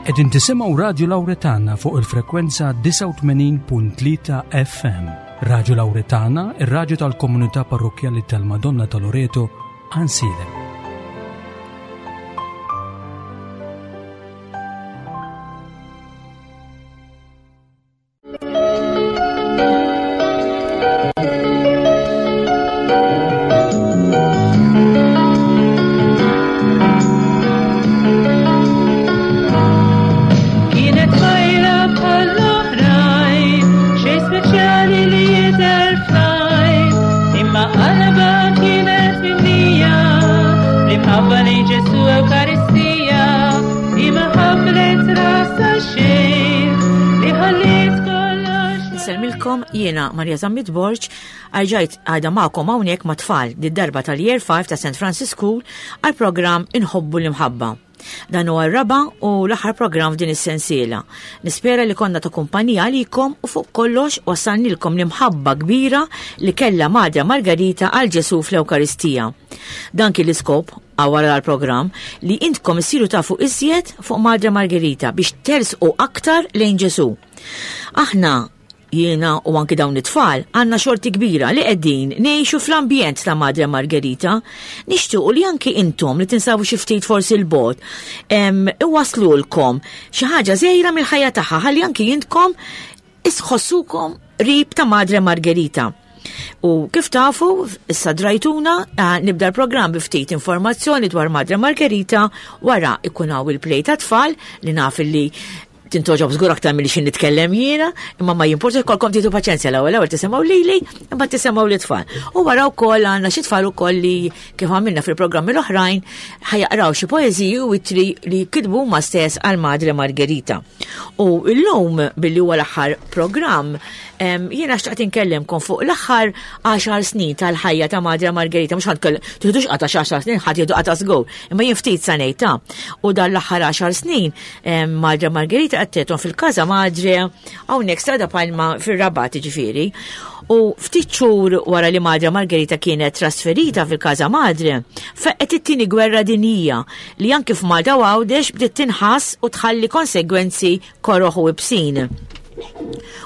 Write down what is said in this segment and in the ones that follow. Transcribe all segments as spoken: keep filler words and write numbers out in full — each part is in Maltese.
Qegħdin tisimgħu Radio Lauretana fuq il-frekwenza disgħa u tmenin punt tlieta F M. Radio Lauretana, ir-radju tal-komunità parrokjali tal-Madonna ta' Loreto, Għajnsielem. Kienet tfajla bħall-oħrajn, xejn speċjali li jidher fl-għajn, imma qalbha kienet mimlija bl-imħabba li Ġesu Ewkaristija, imma ħabblet rasha xejn li ħalliet kollox. Insellmilkom, jiena Maria Zammit Borg, erġajt għadni magħkom hawnhekk ma' tfal did-darba tal-Year five ta' Saint Francis School għal programm Inħobbu l-Imħabba. Dan huwa r-raba' u l-aħħar programm f'din is-sensiela. Nispera li konna ta' kumpanija għalikom u fuq kollox wassalnilkom l-imħabba kbira li kella Madre Margarita għal Ġesu fl-Ewkaristija. Dan kien l-iskop wara l-programm, li intkom issiru tafu iżjed fuq Madre Margarita biex tersqu aktar lejn Ġesu. Aħna, jiena u anki dawn it-tfal, għandna xorti kbira li qegħdin ngħixu fl-ambjent ta' Madre Margherita. Nixtiequ li anki intom li tinsabu xi ftit forsi 'l bogħod, iwaslulkom xi ħaġa żgħira mill-ħajja tagħha ħalli anki intkom tħossukom qrib ta' Madre Margherita. U kif tafu, issa drajtuna, eh, nibda l-programm bi ftit informazzjoni dwar Madre Margherita, wara ikun hawn il-play ta' tfal li naf li tintgħoġob żgur aktar milli xi nitkellem jiena, imma ma jimporta, jkollkom tieħdu paċenzja, l-ewwel ewwel tisimgħu lili, imbagħad tisimgħu lit-tfal. U wara wkoll għandna xi tfal ukoll li, kif għamilna fil-programmi l-oħrajn, ħa jaqraw xi poeżiji u ittri li kitbu huma stess għal Madre Margherita. U llum, billi huwa l-aħħar programm, em, jiena xtaqt inkellimkom fuq l-aħħar għaxar snin tal-ħajja ta' Madre Margherita, mhux ħa nkell tiħdux qata għaxar snin, ħadd jieħdu qata żgur, imma jien ftit sa ngħid ta' u dan l-aħħar għaxar snin em, Madre Margherita qattgħethom fil-Casa Madre hawnhekk Strada Palma fir-Rabat ġifieri. U ftit xhur wara li Madre Margherita kienet trasferita fil-Casa Madre, feqqet it-tieni gwerra dinjija li anki f'Malta u Għawdex bdiet tinħass u tħalli konsegwenzi koroħ u ibsin.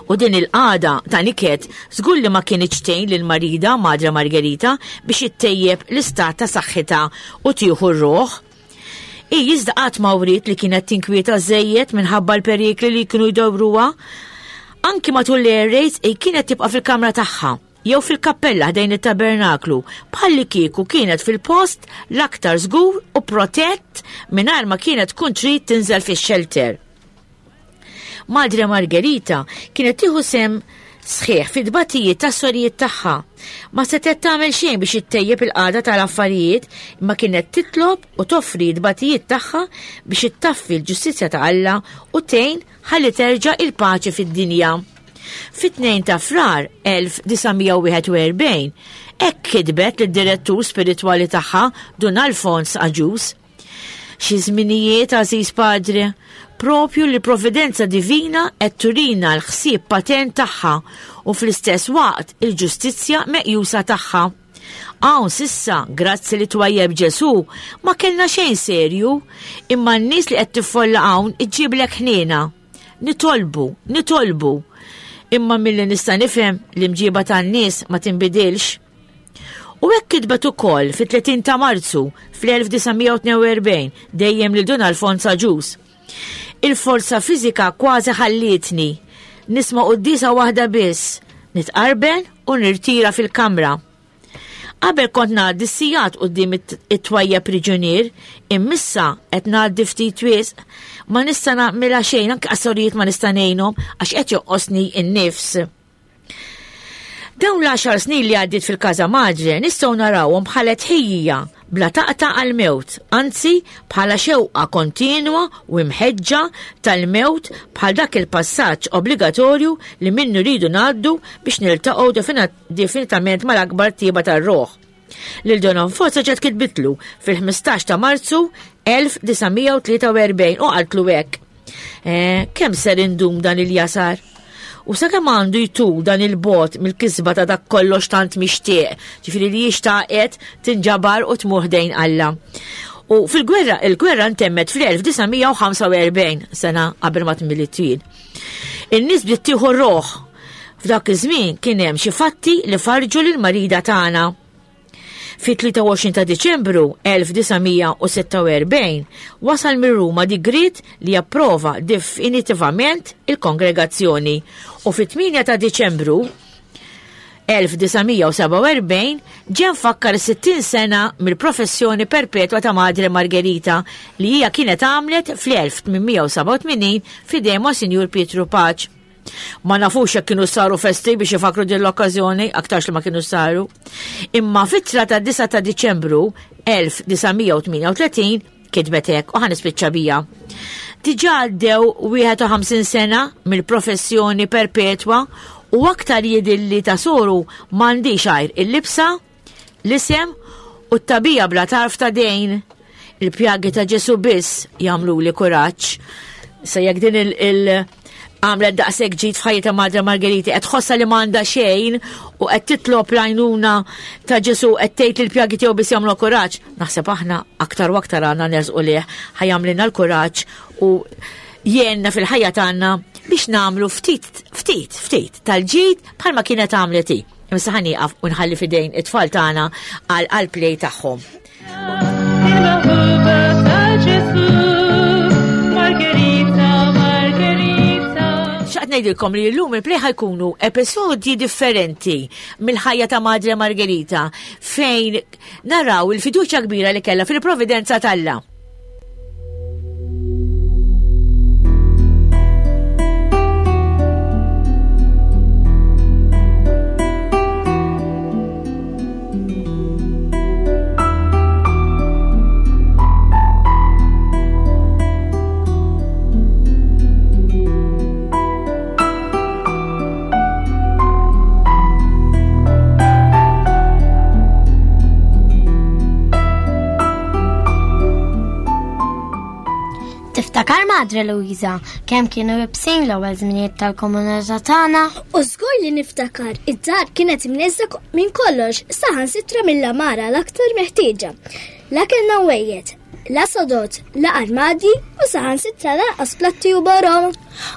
U din il-qagħda ta' niket żgur li ma kinitx tgħin lil marida Madre Margherita biex ittejjeb l-istat ta' saħħitha u tieħu r-ruħ. I iżda qatt ma wriet li kienet tinkwieta żejjed minħabba l-perikli li kienu jdawruha. Anki matul l-air raids i kienet tibqa' fil-kamra tagħha jew fil-kappella ħdejn it-tabernaklu, bħalli kieku kienet fil-post l-aktar żgur u protett, mingħajr ma kienet tkun trid tinżel fix-shelter. Madre Margherita kienet tieħu sehem sħiħ fid-tbatijiet tas-sorijiet tagħha. Ma setgħet tagħmel xejn biex ittejjeb il-qagħda tal-affarijiet, imma kienet titlob u toffri t-tbatijiet tagħha biex ittaffi l-ġustizzja ta' Alla u tgħin ħalli terġa' il-paċi fid-dinja. Fit-tnejn ta' Frar elf disa' mija u wieħed u erbgħin, hekk kitbet lid-direttur spiritwali tagħha, Dun Alfons Agius: "Xi żminijiet, għażiż padre, propju li providenza divina qed turina l-ħsieb patern tagħha u fl-istess waqt il-ġustizzja meqjusa tagħha. Hawn s'issa, grazzi li twajjeb Ġesu, ma kellna xejn serju, imma n-nies li qed tiffolla hawn iġġiblek ħniena. Nitolbu, nitolbu. Imma milli nista' nifhem, l-imġiba tan-nies ma tinbidilx." U hekk kitbet ukoll fit-tletin ta' Marzu fl-elf disa' mija u tnejn u erbgħin dejjem lil Dun Alfons Agius: "Il-forza fiżika kważi ħallietni. Nisma' quddiesa waħda biss, nitqarben u nirtira fil-kamra. Qabel kont ngħaddi sigħat quddiem it-twajjeb priġunier, imma issa qed ngħaddi ftit wisq, ma nista' nagħmilha xejn, anke għas-sorijiet ma nista' ngħinhom għax qed joqosni n-nifs." Dawn l-għaxar snin li għaddit fil-Casa Madre nistgħu narawhom bħala tħejjija bla taqta għal-mewt, anzi bħala xewqa kontinwa u imħeġġa tal-mewt, bħal dak il-passaġġ obbligatorju li minnu rridu ngħaddu biex niltaqgħu definitament mal-akbar tiba tar-ruħ. Lil Don Alfonso ġiet kitbitlu fil-ħmistax ta' Marzu elf disa' mija u tlieta u erbgħin u qaltlu hekk: Eh, kemm ser indum dan il-jasar? U sakemm għandu jtul dan il-bogħod mill-kisba ta' dak kollox tant mixtieq?" Ġifieri li xtaqet tinġabar u tmur ħdejn Alla. U fil-gwerra, il-gwerra ntemmet fl-elf disa' mija u ħamsa u erbgħin sena qabel ma tmiliet jien. In-nies bdiet tieħu r-roħ. F'dak iż-żmien kien hemm xi fatti li farġu lil marida tagħna. Fi tlieta u għoxrin ta' Diċembru elf disa' mija u sitta u erbgħin wasal minn Ruma digriet li japprova definitivament il-kongregazzjoni u fi tmienja ta' Diċembru elf disa' mija u seba' u erbgħin ġie mfakkar sittin sena mill-professjoni perpetwa ta' Madre Margherita li hija kienet għamlet fl-elf tmien mija u seba' u tmenin f'idejn Monsinjur Pietru Paċ. Ma nafux jekk kienu saru festi biex ifakru din l-okkażjoni, aktarx li ma kienu saru. Imma fit-tla ta' disa' ta' Diċembru elf disa' mija u tmienja u tletin kitbet hekk u ħanispiċċa bija. Diġà għaddew wieħed u ħamsin sena mill-professjoni perpetwa u aktar jidilli ta' soru m'għandix għajr il-libsa, l-isem u t-tabija bla tarf ta' dejn. Il-pjagi ta' Ġesu biss jagħmluli kuraġġ. Se jekk din il-, il għamlet daqshekk ġid f'ħajjitha Madre Margherita, qed tħossha li m'għandha xejn u qed titlob l-għajnuna ta' Ġesu, qed tgħid li l-pjagi tiegħu biss jagħmlu kuraġġ. Naħseb aħna aktar u aktar għandna nersqu lih, ħajamlilna l-kuraġġ u jgħinna fil-ħajja tagħna biex nagħmlu ftit, ftit, ftit tal-ġid bħalma kienet għamlet hi. Imma ħa nieqaf u nħalli f'idejn it-tfal tagħna għal għall-play tagħhom. Il-maħbuba ta' Ġesu, Margherita, Margherita. Xaqt ngħidilkom li llum il-play ħajkunu episodji differenti mill-ħajja ta' Madre Margherita fejn naraw il-fiduċja kbira li kellha fil-providenza t'Alla. Tiftakar Madre Luisa kemm kienu ibsin l-ewwel żminijiet tal-komunità tagħna? U żgur li niftakar, id-dar kienet imneżża ko-, minn kollox, saħansitra mill-għamara l-aktar meħtieġa. La kellna wejjed, la sodot, la armadji u saħansitra lanqas platti u borom.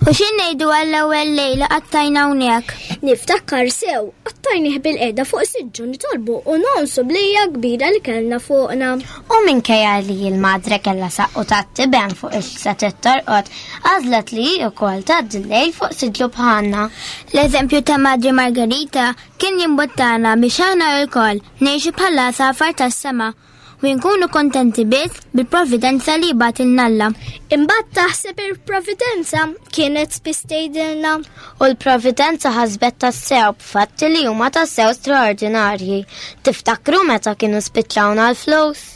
U xi ngħidu għall-ewwel lejla qattajna hawnhekk? Niftakar sew, qattajnih bil-qiegħda fuq siġġu nitolbu u nonsu blija kbira li kellna fuqna. U minkejja li l-madre kellha saqqu tat-tiben fuq ix-satet torqod, għażlet li hi wkoll tgħaddi l-lejl fuq siġġu bħalna. L-eżempju ta' Madre Margherita kien jimbuttana biex aħna wkoll ngħixu bħala safar tas-sema u nkunu kontenti biss bil-providenza li bagħtilna Alla. Imbagħad taħseb il-providenza kienet spiss tgħidilna. U l-providenza ħasbet tassew b'fatti li huma tassew straordinarji. Tiftakru meta kienu spiċċawna l-flus?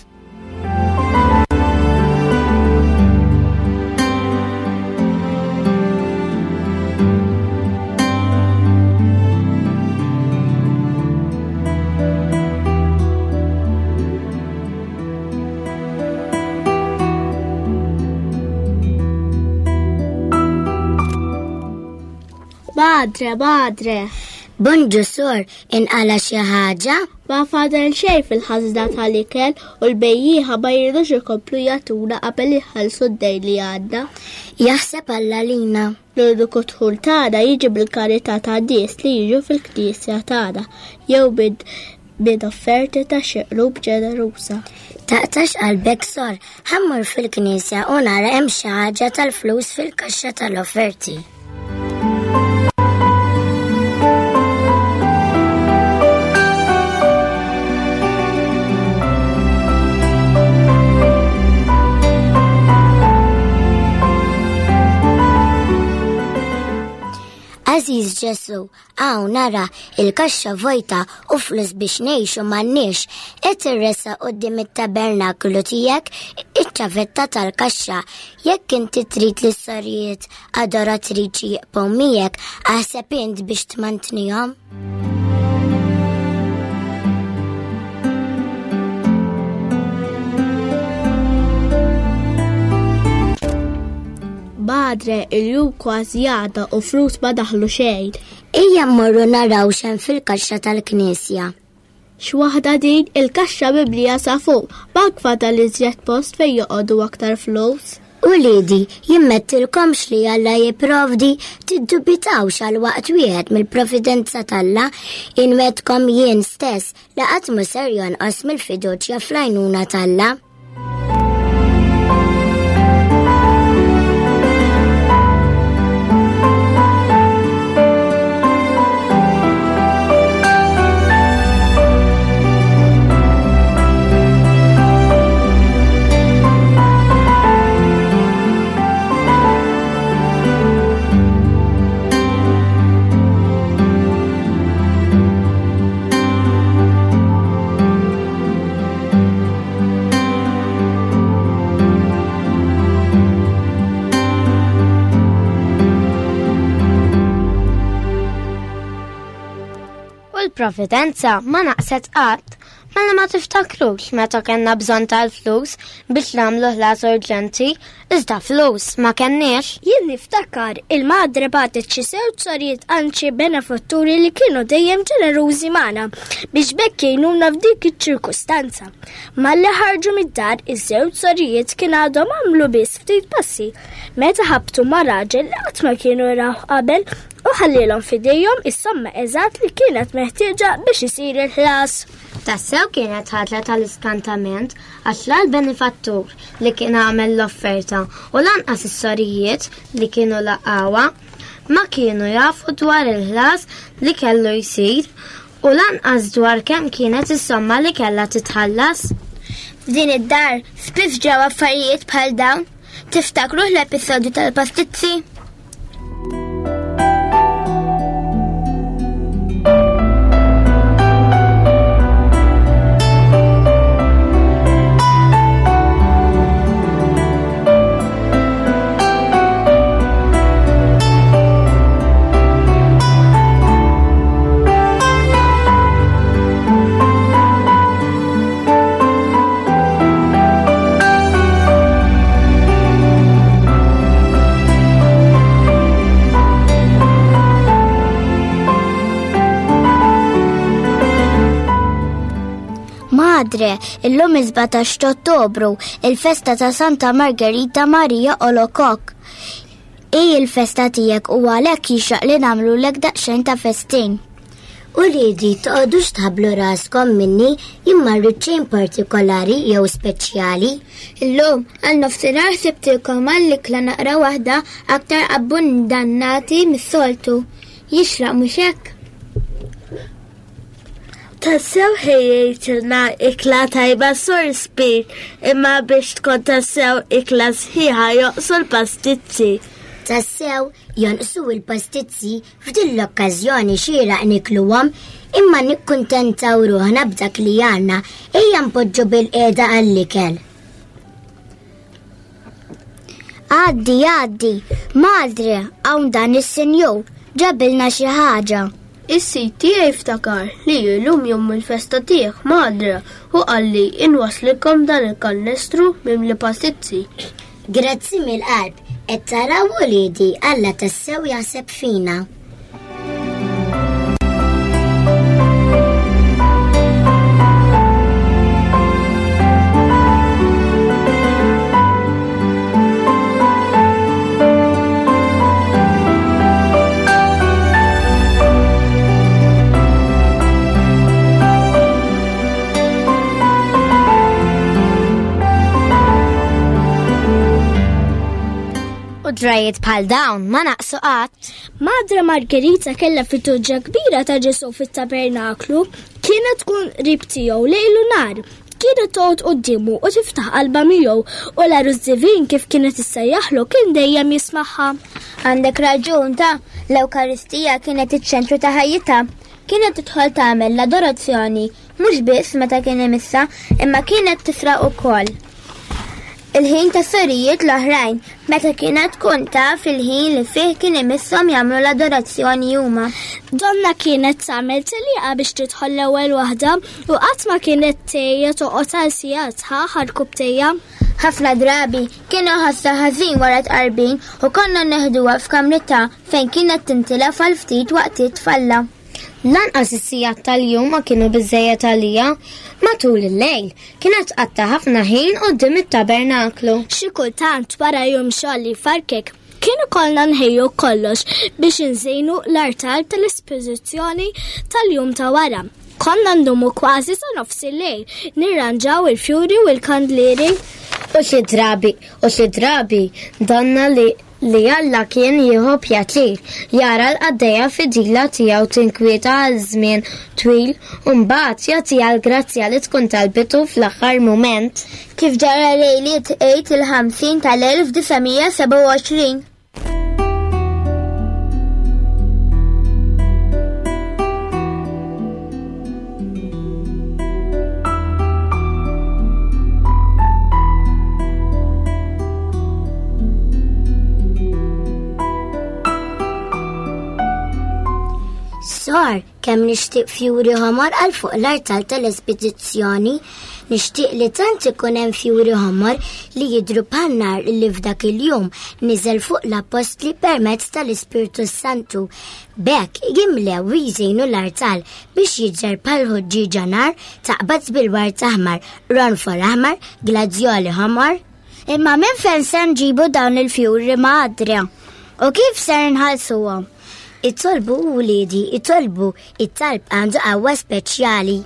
Madre, madre. Bonġu sor, inqala xi ħaġa? Ma fadal xejn fil-ħażna tal-ikel u l-bejjieħa ma jridux ikomplu jagħtuna qabel iħallsu d-dejn li għandna. Jaħseb Alla lina. L-uniku dħul tagħna jiġi bil-karità ta' nies li jiġu fil-knisja tagħna jew minn, minn offerti ta' xi qlub ġeneruża. Taqtax qalbek sor, ħammur fil-knisja u nara hemm xi ħaġa tal-flus fil-kaxxa tal-offerti. Aziz Ġesu, hawn nara il-kaxxa vojta u flus biex ngħixu m'għandniex, qed irressa quddiem it-tabernaklu tiegħek iċ-ċavetta tal-kaxxa. Jekk inti trid li s-sorijiet adoratriċi jibqgħu miegħek, aħseb int biex tmantnihom. Madre, il-jum kważi għadha u flus ma daħlu xejn. Ejja mmorru naraw x'hemm fil-kaxxa tal-knisja. X'waħda din il-kaxxa mimlija sa fuq, bank fadal iżjed post fejn joqogħdu aktar flus. Uliedi, jimmettilkomx li Alla jipprovdi, tiddubitawx għal waqt wieħed mill-providenza t'Alla, inwedkom jien stess li qatt mhu ser jonqos mill-fiduċja fl-għajnuna t'Alla. U l-providenza ma naqset qatt, mela ma tiftakrux meta kellna bżonn tal-flus biex nagħmlu ħlas urġenti, iżda flus ma kenniex. Jien niftakar il-madre bagħtet xi żewġ sorijiet għand xi benefatturi li kienu dejjem ġenerużi magħna biex bekk jgħinuna f'dik iċ-ċirkustanza. Malli ħarġu mid-dar iż-żewġ sorijiet kien għadhom għamlu biss ftit passi meta ħabtu ma' raġel li qatt ma kienu raw qabel u ħallilhom f'idejhom is-somma eżatt li kienet meħtieġa biex isir il-ħlas. Tassew kienet ħaġa tal-iskantament għax la l-benefattur li kien għamel l-offerta u lanqas is-sorijiet li kienu laqgħuha ma kienu jafu dwar il-ħlas li kellu jsir u lanqas dwar kemm kienet is-somma li kellha titħallas. F'din id-dar spiss ġew affarijiet bħal dawn. Tiftakru l-episodju tal-pastizzi? Madre, illum is-sbatax ta' Ottobru, il-festa ta' Santa Margherita Maria Alacoque. Hi il-festa tiegħek u għalhekk jixraq li nagħmlulek daqsxejn ta' festin. Uliedi, toqgħodux tħabblu raskom minni imma rrid xejn partikolari jew speċjali. Illum għal nofsinhar ħsibtilkom għall-ikla naqra waħda aktar abbundannati mis-soltu. Jixraq mhux hekk? Tassew ħejjejtilna ikla tajba Sur Spir, imma biex tkun tassew ikla sħiħa joqsu l-pastizzi. Tassew jonqsu l-pastizzi f'din l-okkażjoni xieraq nikluhom, imma nikkuntentaw ruħna b'dak li għandna, ejja npoġġu bil-qiegħda għall-ikel. Għaddi, għaddi, madre, hawn dan is-sinjur, ġabilna xi ħaġa. Is-sid tiegħi ftakar li llum jum il-festa tiegħek, madre, u qalli inwaslilkom dan il-kannestru mimli pastizzi. Grazzi mill-qalb, qed taraw uliedi Alla tassew jaħseb fina. U drajiet bħal dawn ma naqsu qatt. Madre Margherita kellha fiduċja kbira ta' Ġesù fit-tabernaklu, kienet tkun qrib tiegħu lejl u nhar. Kienet toqgħod quddiemu u tiftaħ qalbha miegħu u l-għarus divin kif kienet issejjaħlu kien dejjem jismagħha. Għandek raġun ta' l-Ewkaristija kienet iċ-ċentru ta' ħajjitha. Kienet tidħol tagħmel l-adorazzjoni mhux biss meta kien imissa, imma kienet tifraq ukoll. Il-ħin ta' sorijiet l-oħrajn, meta kienet tkun taf il-ħin li fih kien imisshom jagħmlu l-adorazzjoni huma. Donna kienet tagħmel tellieqa biex tidħol l-ewwel waħda u qatt ma kienet tgħejja toqgħod għal sigħat sħaħ għall-kubtejja. Ħafna drabi kienu ħassa ħażin wara tqarbin u konna neħduha f'kamritha fejn kienet tintilef għal ftit waqtiet tfalla. Lanqas is-sigħat tal-jum ma kienu biżejjed għalija. Matul il-lejl kienet tqatta' ħafna ħin quddiem it-tabernaklu. Xi kultant wara jum xogħol li farkek kien ikollna nħejju kollox biex inżejnu l-artal tal-espożizzjoni tal-jum ta' wara. Konna ndumu kważi sa nofs il-lejl nirranġaw il-fjuri u l-kandlieri. U xi drabi, u xi drabi donna li li Alla kien jieħu pjaċir jara l-qaddejja fidila tiegħu tinkwieta għal żmien twil u mbagħad jagħtiha l-grazzja li tkun talbitu fl-aħħar mument. Kif ġara lejliet Għid il-ħamsin tal-elf disa' mija sebgħa u għoxrin. Sor, kemm nixtieq fjuri ħomor għal fuq l-artal tal-espedizzjoni, nixtieq li tant ikun hemm fjuri ħomor li jidhru bħal nar li f'dak il-jum niżel fuq l-appostli permezz tal-Ispirtu Santu. B'hekk jimlew u jżejnu l-artal biex jidher bħal ħuġġieġa nar taqbad bil-ward aħmar, ronfol aħmar, gladjoli ħomor. Imma minn fejn se nġibu dawn il-fjuri Madre? U kif ser nħallsuhom? Itolbu wliedi, itolbu, it-talb għandu qawwa speċjali.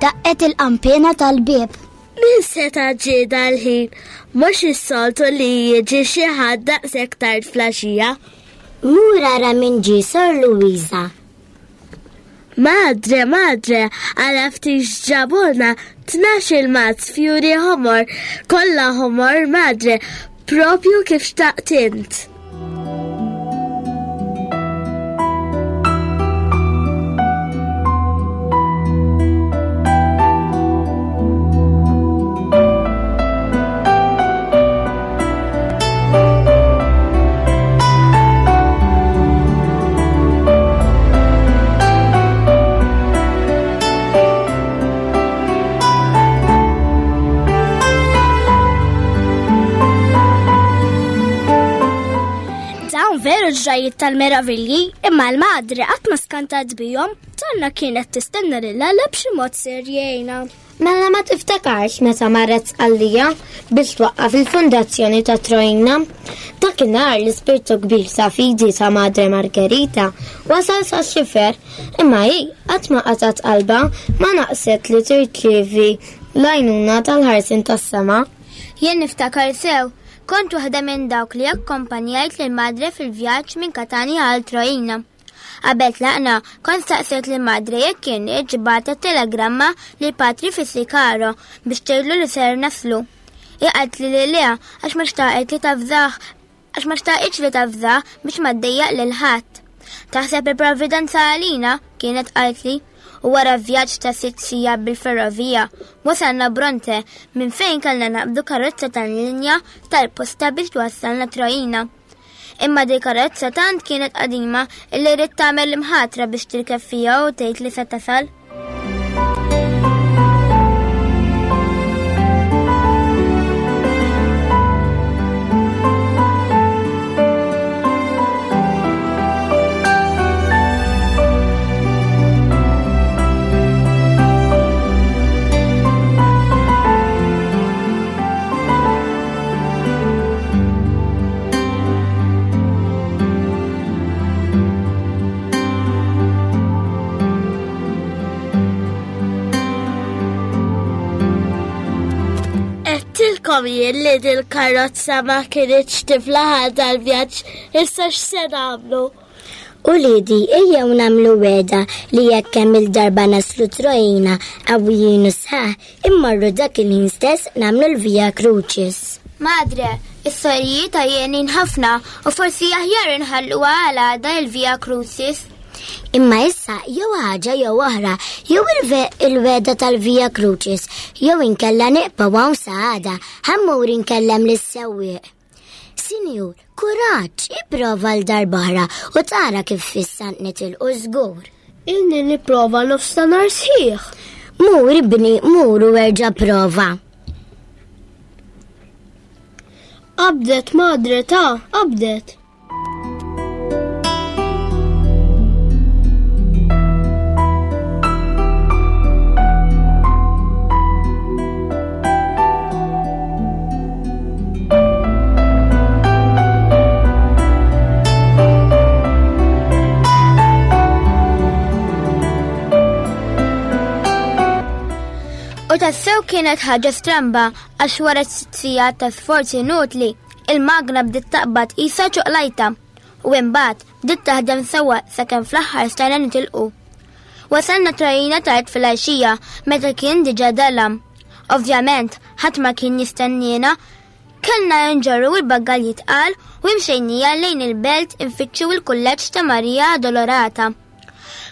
Daqqet il-qampina tal-bieb. Min seta' ġie dal-ħin? Mhux is-soltu li jiġi xi ħadd daqshekk tard flaxija. Mur ara min ġie, Sor Luisa. Madre, madre, għala ftit ġabuna tnax il-mazz fjuri ħomor, kollha ħomor, madre, propju kif xtaqt int. Veru ġrajiet tal-meravilji, imma l-madre qatt ma skantat bihom, tonna kienet tistenna lil Alla b'xi mod ser jgħinha. Mela ma tiftakarx meta marret Sqallija biex twaqqaf il-fundazzjoni ta' Troina. Dakinhar l-ispirtu kbir ta' fidi ta' Madre Margherita wasal sa xifer, imma hi qatt ma qatgħet qalbha ma naqset li tirċievi l-għajnuna tal-ħarsin tas-sema. Jien niftakar sew. Kont waħda minn dawk li akkompanjajt lil madre fil-vjaġġ minn Katania għal Troina. Qabel tlaqna, kont staqsejt lil madre jekk kien ġibgħatet telegramma lil patri Fissikaro biex tgħidlu li ser naslu. Hi qaltli li le għax ma xtaqet li tafżah, għax ma xtaqitx li tafżah biex ma ddejjaq lil ħadd. Taħseb il-provvidenza għalina, kienet qaltli. U wara vjaġġ ta' sitt sigħat bil-ferrovija, wasalna Bronte minn fejn kellna naqbdu karozza tal-linja tal-posta biex twassalna Troina. Imma di karozza tant kienet qadima illi rrid tagħmel imħatra biex tirkeb fiha u tgħid li se tasal. Għedtilkom jien li dil-karozza ma kinitx tiflaħ dal-vjaġġ, issa x'se nagħmlu? Uliedi, ejjew nagħmlu wegħda li jekk kemm il-darba naslu Troina qawwijin u sħaħ, immorru dak il-ħin stess nagħmlu l-Via Crucis. Madre, is-sorijiet għajjenin ħafna u forsi aħjar inħalluha għal għada il-Via Crucis. Imma issa jew ħaġa jew oħra, jew il-wegħda tal-Via Crucis, jew inkella nibqgħu hawn sa għada, ħa mmur inkellem lis-sewwieq. Sinjur, kuraġġ, ipprova għal darb'oħra u tara kif issa nitilqu żgur. Ilni nipprova nofstanhar sħiħ. Mur ibni, mur u erġa' prova. Qabdet madre ta' qabdet. U tassew kienet ħaġa stramba għax wara sitt sigħat ta' sforzi inutli, il-magna bdiet taqbad qisha ċoqlajta u imbagħad bdiet taħdem sewwa sakemm fl-aħħar stajna nitilqu. Wasalna Troina tard fil-għaxija meta kien diġà dalam. Ovvjament, ħadd ma kien jistenniena, kellna nġorru l-baggalji tqal u imxejnija lejn il-belt infittxu il-kulleġġ ta' Maria Dolorata.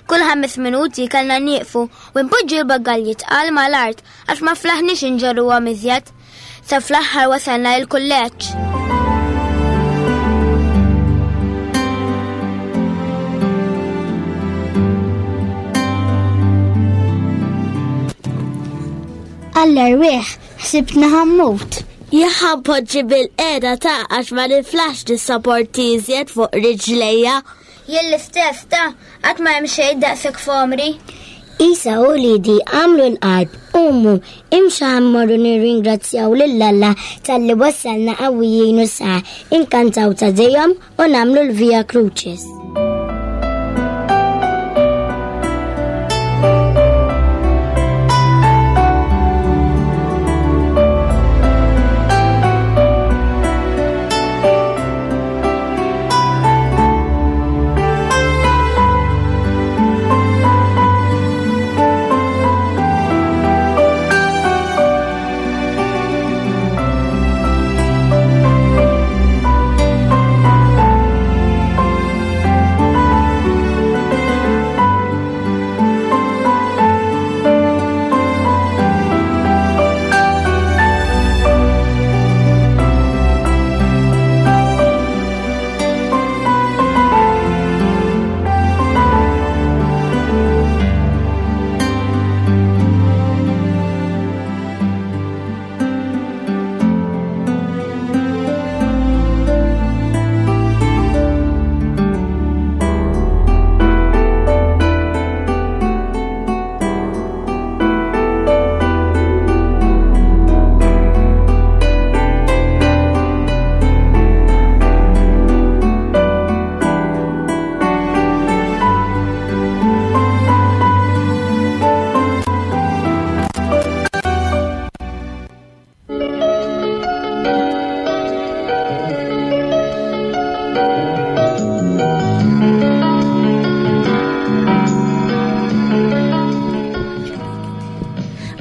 Kull ħames minuti kellna nieqfu u npoġġu l-baggalji tqal mal-art għax ma flaħniex inġorruhom iżjed. Sa fl-aħħar wasalna l-kulleġġ. Għall-erwieħ, ħsibtni ħa mmut. Jaħa poġġi bil-qeda ta' għax ma niflax nissaporti iżjed fuq riġlejja. Jien l-istess ta' qatt ma hemm xejn daqshekk f'għomri. Isa u lidi għamlu l-qalb, umu, imxu ħa mmorru nirringrazzjaw lil Alla talli wassalna qawwijin u sħaħ, inkantaw ta' dejjem u nagħmlu l-Via Crucis.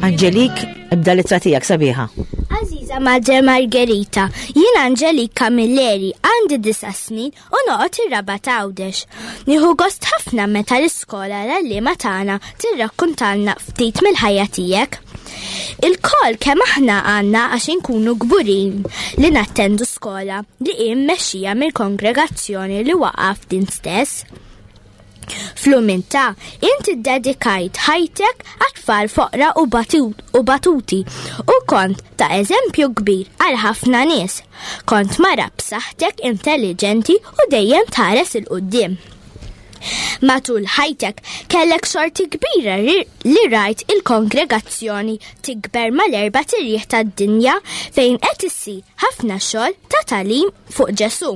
Angelik, ibda l-ittra tiegħek sabiħa. Aziza Madre Margherita, jien Angelik Camilleri, għandi disa' snin u noqgħod ir-Rabat Għawdex. Nieħu gost ħafna meta l-iskola l-għalliema tagħna tirrakkuntalna ftit mill-ħajja tiegħek. Il-kol kemm aħna għandna għax inkunu kburin li nattendu skola li hi mmexxija mill-kongregazzjoni li waqaf din stess. Fl-umiltà, inti ddedikajt ħajtek għat-tfal foqra u batuti u kont ta' eżempju kbir għal ħafna nies. Kont mara b'saħħtek intelligenti u dejjem tħares 'il quddiem. Matul ħajtek kellek xorti kbira li rajt il-kongregazzjoni tikber mal-erba' tirjieħ tad-dinja fejn qed issir ħafna xogħol ta' tagħlim fuq Ġesù.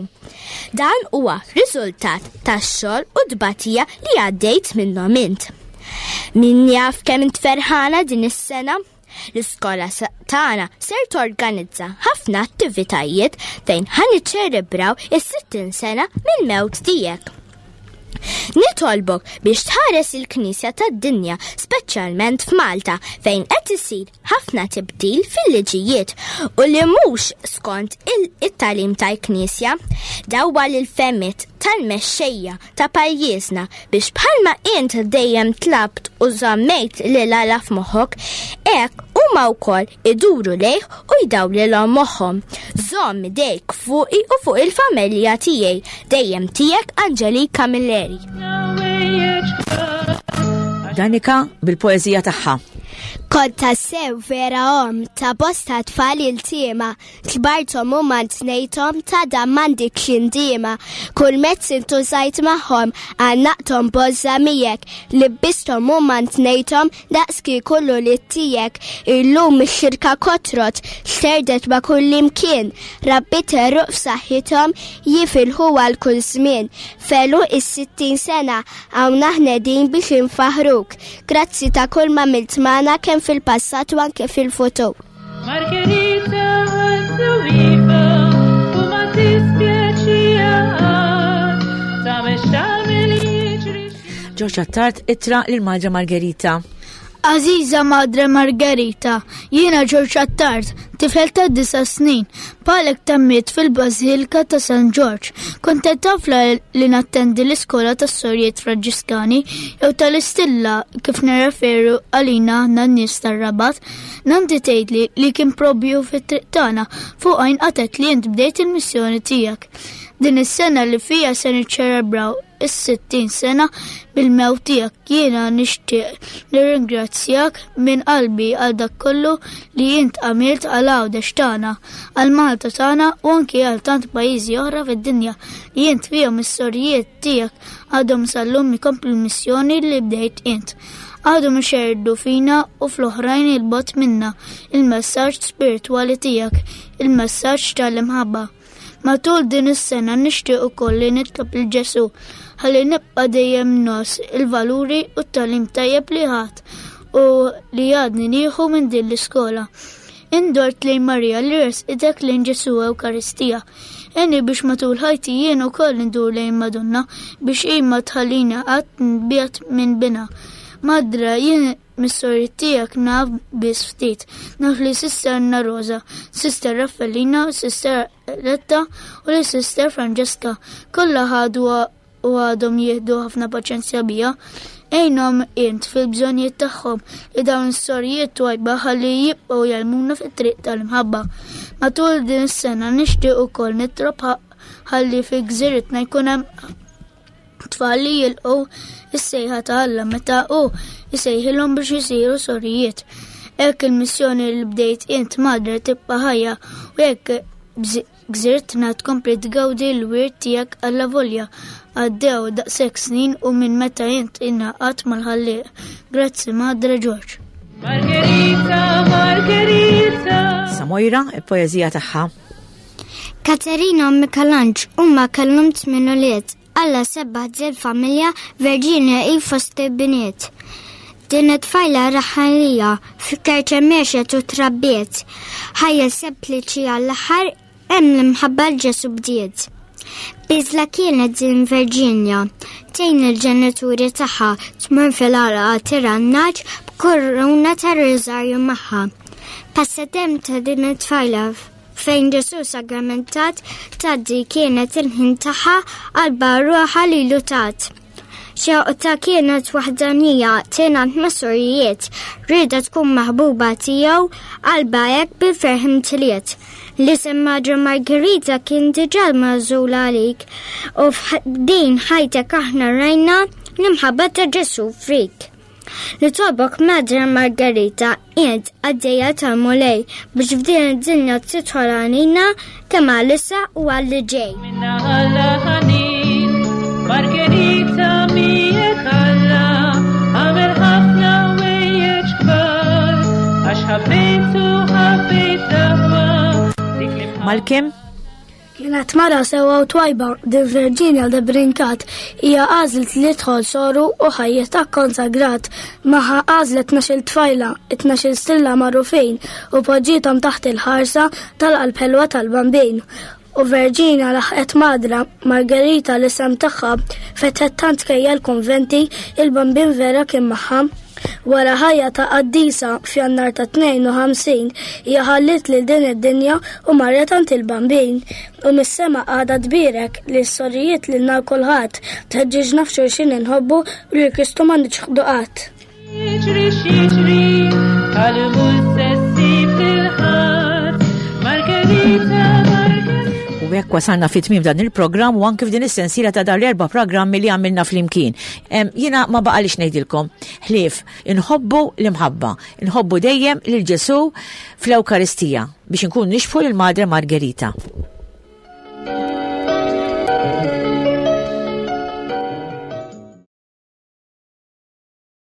Dan huwa riżultat tax-xogħol u tbatija li għaddejt minnhom int. Min jaf kemm int ferħana din is-sena? L-iskola tagħna ser torganizza ħafna attivitajiet fejn ħa niċċelebraw is-sittin sena mill-mewt tiegħek. Nitolbok biex tħares il-Knisja tad-dinja, speċjalment f'Malta, fejn qed isir ħafna tibdil fil-liġijiet u li mhux skont it-tagħlim tal-Knisja. Dawwal il-fehmiet tal-mexxejja ta' pajjiżna biex bħalma int dejjem tlabt u żammejt lil Alla f'moħħok, hekk huma wkoll iduru lejh u jdawlilhom moħħhom. Żomm idejk fuqi u fuq il-familja tiegħi, dejjem tiegħek Angelique Camilleri. Danika bil-poeżija tagħha. Kont tassew vera om ta' bosta tfal iltiema, kbarthom u mantnejthom ta' dan m'għandikx indiema. Kull mezz intużajt magħhom, għannaqthom b'għożża miegħek, libbisthom u mantnejthom daqs kieku l-ulied tiegħek. Illum ix-xirka kotrot, xterdet ma' kull imkien, rabbit għeruq f'saħħithom jifilħu għal kull żmien. F'għeluq is-sittin sena hawn aħna qegħdin biex infaħruk. Grazzi ta' kull ma għamilt magħna kemm fil-passat u anke fil-futur. Margherita għal-suwifa u ma tispjaċija ta' tagħmel jiġri. George Attard ittra lil Madre Margherita. Għażiża Madre Margherita, jiena George Attard, tifel ta' disa snin, bħalek tgħammidt fil-Bażilika ta' San George. Kont tafla li nattendi l-iskola tas sorijiet Franġiskani jew tal-Istilla kif nirreferu għalina aħna n-nies tar-Rabat. Nanti tgħidli li kien probju fit-triq tagħna fuq għajn qatet li int bdejt il-missjoni tiegħek. Din is-sena li fija se niċċelebraw is-sittin sena bil-mewt tiegħek, jiena nixtieq nirringrazzjak minn qalbi għal dak kollu li int għamilt għal Għawdex tagħna, għal Malta tagħna u anki għal tant pajjiżi oħra fid-dinja li int fihom is-sorijiet tiegħek għadhom sal-lum ikomplu l-missjoni li bdejt int. Għadhom ixerrdu fina u fl-oħrajn il-bogħod minna il-messaġġ spiritwali tiegħek, il-messaġġ tal-imħabba. Matul din is-sena nixtieq ukoll li nitlob lil Ġesu ħalli nibqa' dejjem ngħożż il-valuri u t-tagħlim tajjeb li ħadt u li għadni nieħu minn din l-iskola. Indort lejn Marija li resqitek lejn Ġesu Ewkaristija. Għinni biex matul ħajti jien ukoll ndur lejn Madonna biex hi ma tħallini qatt nbiegħed minn binha. Madre, jien mis-sorijiet tiegħek naf biss ftit. Naf li Sister Anna Rosa, Sister Raffaellina, Sister Retta u li Sister Francesca. Kollha ħadu u għadhom jieħdu ħafna paċenzja bija. Għinhom int fil-bżonnijiet tagħhom li dawn is-sorijiet twajba ħalli jibqgħu jgħallmuna fit-triq tal-imħabba. Matul din is-sena nixtieq ukoll nitlob ħalli fi gżiritna jkun hemm tfal li jilqgħu is-sejħa ta' Alla meta hu jsejħilhom biex isiru sorijiet. Hekk il-missjoni li bdejt int Madre tibqa' ħajja u hekk gżirtna tkompli tgawdi l-wirt tiegħek allavolja għaddew daqshekk snin u minn meta int ingħaqadt mal-Ħallieq. Grazzi Madre George. Margherita, Margherita. Samojra, il-poeżija tagħha. Katerina u Michelangelo huma kellhom tmien ulied. Alla sebbaħ dil-familja Virginia hi fost il-bniet. Din it-tfajla raħalija fil-Kerċem għexet u trabbiet. Ħajja sempliċi għall-aħħar hemm l-imħabba l-Ġesu bdiet. Biżla kienet din Virginia, tgħin il-ġenituri tagħha tmur fil-għalqa tirgħa n-nagħaġ b'kuruna tar-riżarju magħha. Passatemp ta' din it-tfajla fejn Ġesu sagramentat tgħaddi kienet il-ħin tagħha qalbha ruħha lilu tat. Xewqta kienet waħdanija tingħaqad mas-sorijiet, rieda tkun maħbuba tiegħu qalbha hekk bil-ferħ imtliet. L-isem Madre Margherita kien diġà magħżul għalik u f'din ħajtek aħna rajna l-imħabba ta' Ġesu fik. Nitolbok Madre Margherita, int qaddejja tal-Mulej biex f'din id-dinja tidħol għalina kemm għalissa u għalli ġej. Minna Alla ħanin, Margherita miegħek Alla, għamel ħafna ħwejjeġ kbar, għax ħabbejtu ħabbejt l-aħwa, dik li mħabba. Malkim? Kienet mara sewa u twajba din Virginia de Brincat hija għażlet li tidħol soru u ħajjitha konsagrat. Magħha għażlet tnax-il tfajla, tnax-il stilla magħrufin u poġġiethom taħt il-ħarsa tal-qalb ħelwa tal-Bambin. U Verġina laħqet Madre Margherita l-isem tagħha, fetħet tant kejjel konventi, il-Bambin vera kien magħha. Wara ħajja ta' qaddisa, f'Jannar ta' tnejn u ħamsin hija ħallit lil din id-dinja u marret għand il-Bambin. U mis-sema għadha tbierek li s-sorijiet lil kulħadd, tħeġġiġna f'xulxin inħobbu u lil Kristu ma niċħdu qatt. Jiġri x'jiġri, qalbu se ssib lil ħadd. Margherita, Margherita. U hekk wasalna fi tmiem dan il-programm u anke f'din is-sensiela ta' dan l-erba' programmi li għamilna flimkien. Em, Jiena ma baqalix ngħidilkom ħlief inħobbu l-imħabba, inħobbu dejjem lil Ġesu fl-Ewkaristija biex inkun nixbhu lil Madre Margherita.